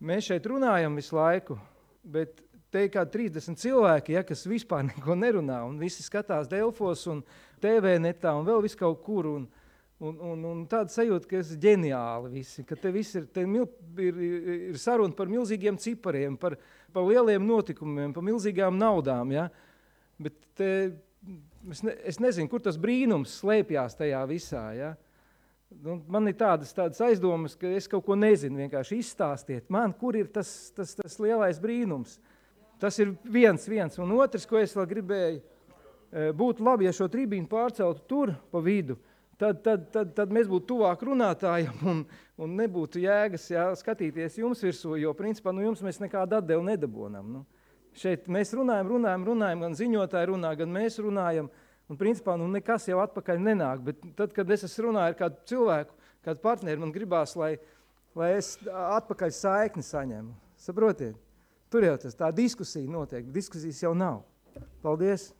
mēs šeit runājam visu laiku, bet te kā 30 cilvēki, kas vispār neko nerunā, un visi skatās Delfos un TV netā un vēl visu kaut kur, un tāda sajūta, ka es ģeniāli visi, ka te viss ir saruna par milzīgiem cipariem, par lieliem notikumiem, par milzīgām naudām, ja? Bet es nezinu, kur tas brīnums slēpjās tajā visā, ja? Man ir tādas aizdomas, ka es kaut ko nezinu, vienkārši izstāstiet man, kur ir tas lielais brīnums. Tas ir viens, un otrs, ko es vēl gribēju, būtu labi, ja šo tribīnu pārceltu tur pa vidu, tad mēs būtu tuvāk runātājiem un nebūtu jēgas skatīties jums virsū, jo principā jums mēs nekādu atdevu nedabonam. Šeit mēs runājam, gan ziņotāji runā, gan mēs runājam, un principā nekas jau atpakaļ nenāk, bet tad, kad es runāju ar kādu cilvēku, kādu partneri, man gribās, lai es atpakaļ saikni saņemu. Saprotiet? Tur jau tā diskusija notiek, diskusijas jau nav. Paldies!